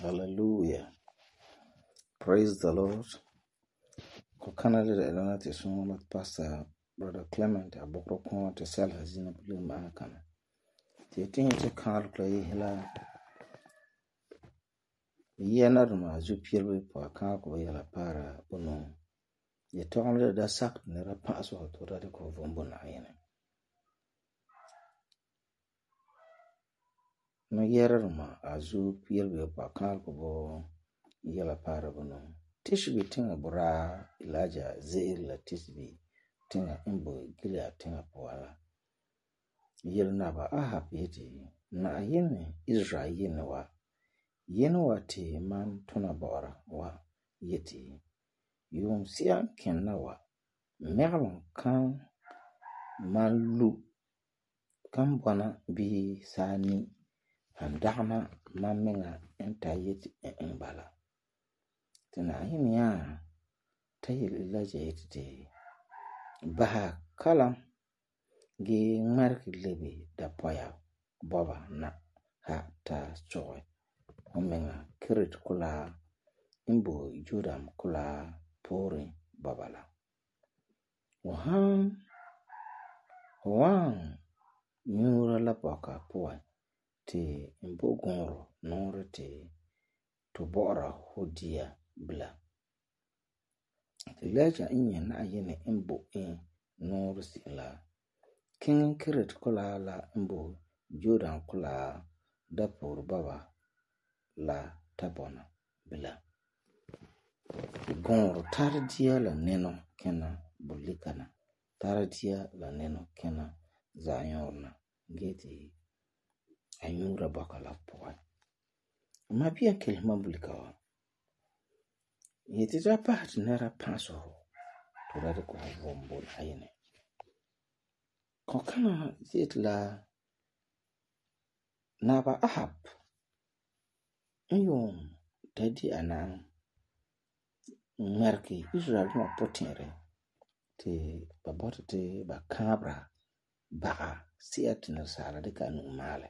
Hallelujah. Praise the Lord. Kokana de la te son Pastor Brother Clement a bokro kon te sel hazina bulim akana. Te tin te kar play hela. Yena ruma zu pierbe po kan ko yala para bono. Ye tonle da sak ne ra paso to da ko vombo na yene. No yera ruma azu pierbe po kan ko bo yala para bono. Tishbi tinga bura Elijah zeir la tishbi tinga imbo gilia tinga poala. Yel naba Ahab yeti na yene Israel yene wa. Yene wa te man tuna bora wa yeti. Yung siya kenna wa. Megalon kan man lu kan bona bi sani handagna man menga enta yeti bala. Tena yene ya tayil Elijah yeti te baha kalam ge mark lebe da poya boba na ha ta choy omenga kirit kula imbo judam kula pori babala wan nyura la boka poa te imbo goro nore te to bora hodia bla Elijah inye na yene imbo nore sila king kirit kula la imbo judam kula da pori baba la tabona bila gongro tardia la neno kena bulikana tardia la neno kena zayorna geti anyura bakala poa mabia kelma bulikawa yeti da pat nera paso to da ko vombo ayene kokana zitla naba Ahab Yung tadi anang merki Israel ma potere te babota te ba kabra ba siat na sala de kanu male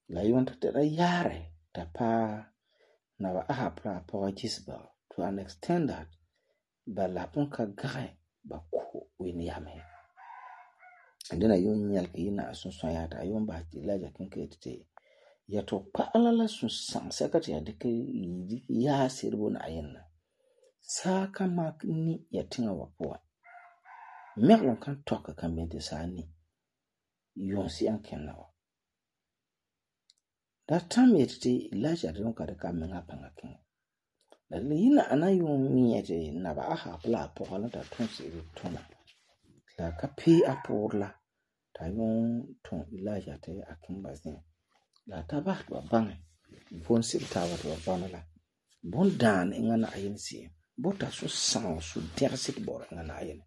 la yon te da yare ta pa na ba Ahab pa Jezebel to an extent that ba la ponka gae ba ko wini yame ndena yon nyalki na asunso yata yon ba Elijah kinkete yato pa'alala sun san sakati ya dike ya sirbo na ayenna saka mak ni ya tinga wapoa meglon kan toka kan bente sani yonsi an kennawa that time yeti Elijah don ka de ka menga panga king la lina anayon mi yete na ba aha pla pola ta tonsi tona la ka pi apurla ta yon ton Elijah te akin bazin la tabat ba bang bon sil tabat ba banala bon dan ngana ayensi bota so san so dersit bor ngana ayen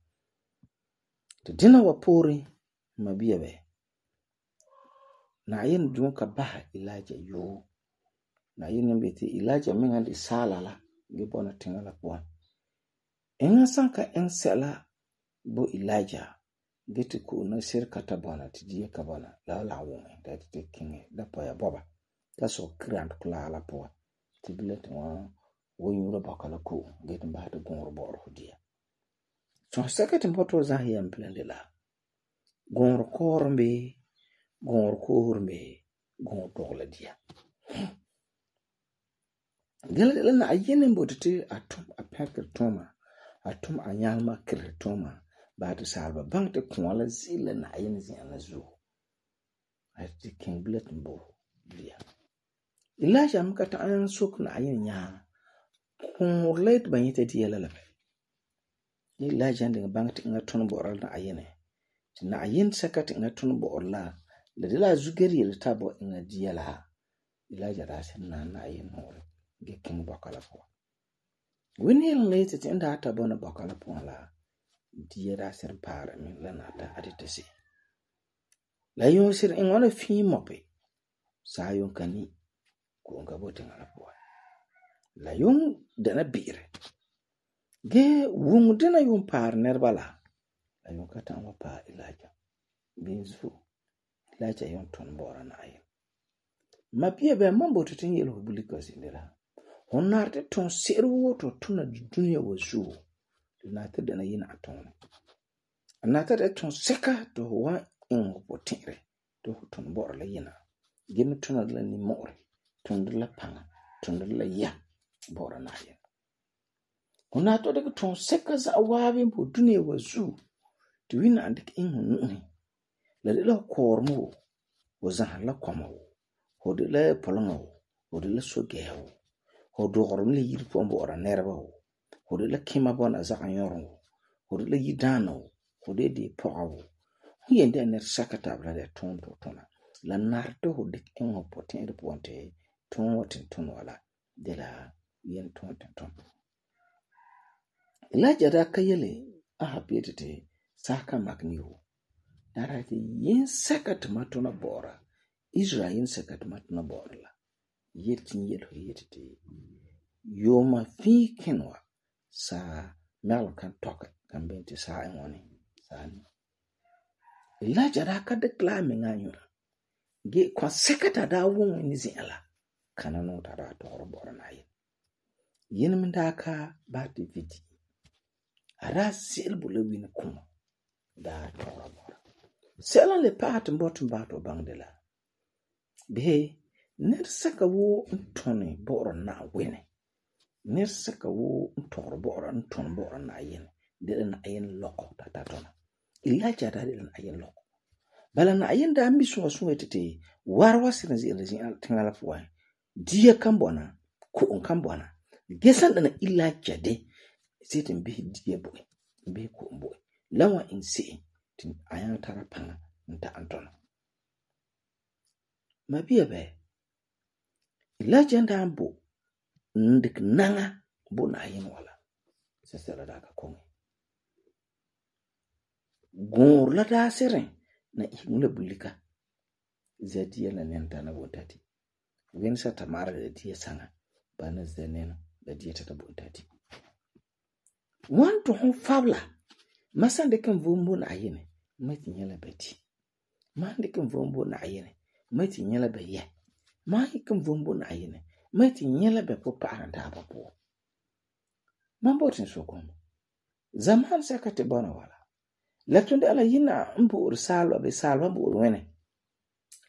to dina wa pori mabia be na ayen dun ka ba Elijah yo na ayen mbete Elijah menga di sala la ge bona tingala kwa enga sanka ensela bo Elijah gete ko na sir kata bona tidiye ka bona la won da te kinge da poya boba da so grand kula la po tibilet wo yura bakala ko gete ba de gongro bor hodia so sekati mboto za hiya mplende la gongro kormbe gongro dogle dia gele na ayene mbotete atum apeke toma atum anyalma kretoma ba de salba bank te kwala zile na ayen zina zu ati king blet mbo dia Elijah mkata ayan sok na ayen nya kun let ban yete di yala labe Elijah ndinga bank te ngaton bo oral na ayene na ayen sakati ngaton bo orla le de la zugeri le tabo nga di yala Elijah da sen na ayen hore ge king bakala po wini lete te nda ata bona bakala po la diera ser para min lanata aditasi la yon sir ngona fi mope sa yon kani ko ngabote ngala po la yon dana bire ge wung dina yon par nerbala la yon kata ma pa Elijah binzu Elijah yon ton bora na ayen Ma bia bɛ man bote tin yel ho bulika sindira. Hon narte ton se'ere wo to tuna dunia wa zuo. Le narte dana yina atone. Narte de ton seka to ho wa in ho potere to ho ton bor la yina. Gemi tuna la ni more, ton la panga, ton la ya bor na yin. Hon narte de ton seka za waabi po dunia wa zuo. To wina andik in ho nuhi. La de la kormo wo zahan la kwama wo. Ho de la polonga wo. Ho de la sogeha wo. Ho dogorom le yiri po mbora nerba wo. Ho de la kima bona zagan yoron wo. Ho de la yidana wo. Ho de poga wo. Ho yende ner sakatabla de ton to tona. La nardo ho dik in ho poten de ponte ton watin ton wala de la yen ton ton. Elijah da kayele aha petete saka makni wo. Dara te yen sakat matona bora. Israel yen sakat matona bora la. Yetin yelo yetete. Yoma fi kenwa sa mel kan toke kan benti sa ngoni sani. Elijah da ka declare me nganyo. Ge kwa sekata da won ni zela kana no ta da to bora na yin. Yin min da ka ba te vidi. Ara silbu le win kuma da to bora. Selan le pat mbotun ba to bangdela. Be ner saka wo ntone bora na wene. Ner saka wo ntoro bora nton bora na yin. Dele na yin loko tatatona. Elijah da dele na yin loko. Bala na yin da ambi sunga sunga tete warwa sinzi tingala fuwa. Dia kambona ko kambona. Gesan dana Elijah de sitin bihi dia boy. Bihi ko boy. Lawa insi tin ayan tara panga nta antona. Mabia be Elijah da ambo ndik nanga bo na yin wala. Sesela da ka kongi. Gor la da seren na ihmula bulika. Zadia la nenta na bontati. Wensa tamara da dia sanga. Bana zenena da dia tata bontati. Wanto hon fabla. Masande kan vumbu na ayene. Mati nyala beti. Mande kan vumbu na ayene. Mati nyala be ye. Mahi kan vumbu na ayene. Mati nyala be popa anda apapo. Mambotin sokomo. Zaman sakate bona wala. Latunde ala yina mbu ursalwa be salwa mbu urwene.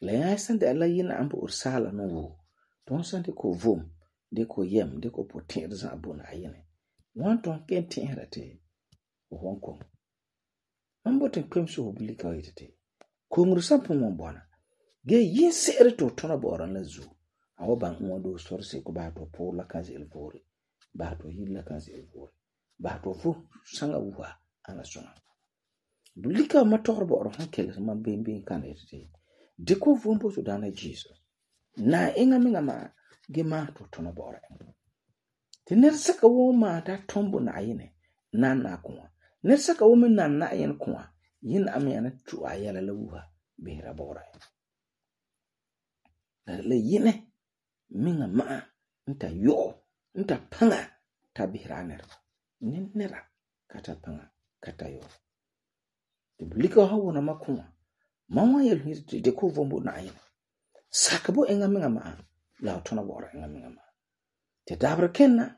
La yasan de ala yina mbu ursala no wo. Don sande ko vom, de ko yem, de ko potin za abuna ayene. Wanton kenti herate Hong Kong. Mambotin kwemso obulika wetete. Ko ngrusa pomo bona. Ge yin sere to tona boran la zu. Awo ban ngodo sorse ko ba to pour la kanzi elvori. Ba to hilla kanzi elvori. Ba to fu sanga wuha ana sona. Bulika mator boro hankele ma bembe kan etete. Deko vumbo to dana Jesus. Na inga minga ma ge ma to tona bora. Tiner saka wo ma ta tombo na ayene na na kwa. Ner saka wo men na ayen kwa. Yin amena tu ayala la wuha behra bora. La yine minga ma nta yo nta panga ta behra ner. Nera kata panga kata yo. Bulika hawo na makuma. Mama yel hirti de ko vombo na ayene. Sakabo enga minga ma la tona bora enga minga ma. Te dabra kenna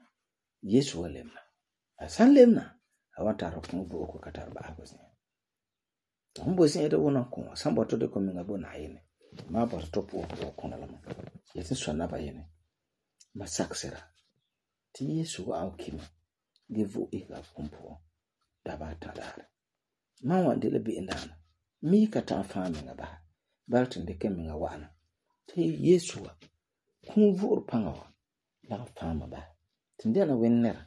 Yesu walemna. Asan lemna awanta rokon bo ko katar ba agosi. Hombo sin ede wona ko sambo to de ko minga bo na ayene. Ma ba to po ko na lama. Yesu sona ba yene. Ma saksera. Ti Yesu wa okima. Gevu ika kumpo dabata dare. Mawa ndile bi indana. Mi kata fami nga ba. Baltin de kemi nga wana. Te Yesu wa. Kumvur panga wa. La fama ba. Tindela wenera.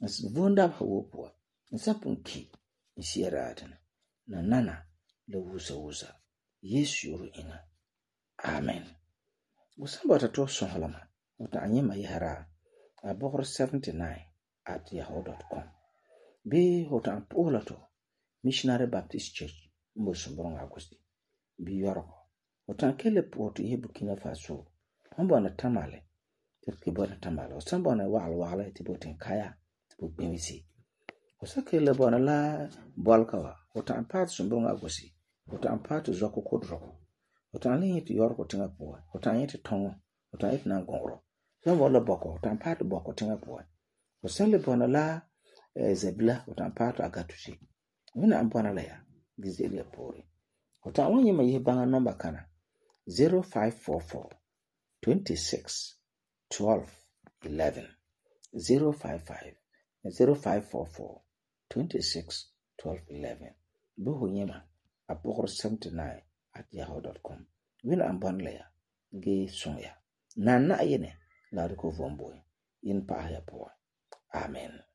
As vonda ba wopwa. Nsapun ki. Nsiera atana. Na nana. Le wusa. Yesu yuru inga. Amen. Usamba watato sonhalama. Wata anyema yihara. Abokor 79@yahoo.com. Be hota ampola to. Missionary Baptist Church. Mbo Sumburong Agusti. Bi yoroko. Wata kele poto ihe Burkina Faso. Hambo na tamale. Tibo na tamale. Osamba na wala tibo tenkaya. Tibo bimisi. Osakele bona la bolkawa. Wata ampatu Sumburong Agusti. Wata ampatu zoko kodroko. fu ta'am le yete yɔrɔgɔ tiŋa puan, fu ta'am yete tɔŋɔ, fu ta'am yete nangɔgɔrɔ. Sẽn bɔna la bɔkɔ, fu ta'am paɛ ti bɔkɔ tiŋa puan. Fu sẽn le bɔna la zabila, fu ta'am paɛ ti agatusi. Wẽnnaam bɔna la ya ge ze'ele ya pooren. Fu ta'am wan yẽma yese baŋa nɔmba kana 0544 26 12 11 055 0544 26 12 11. Bo fu yẽma a pʋgr 79@yahoo.com. Wẽnnaam bɔna la ya ge sõng ya. Nan Na'ayinɛ la a dikɛ fu vom bo ye. Yin pa'ahɛ ya puan. Amen.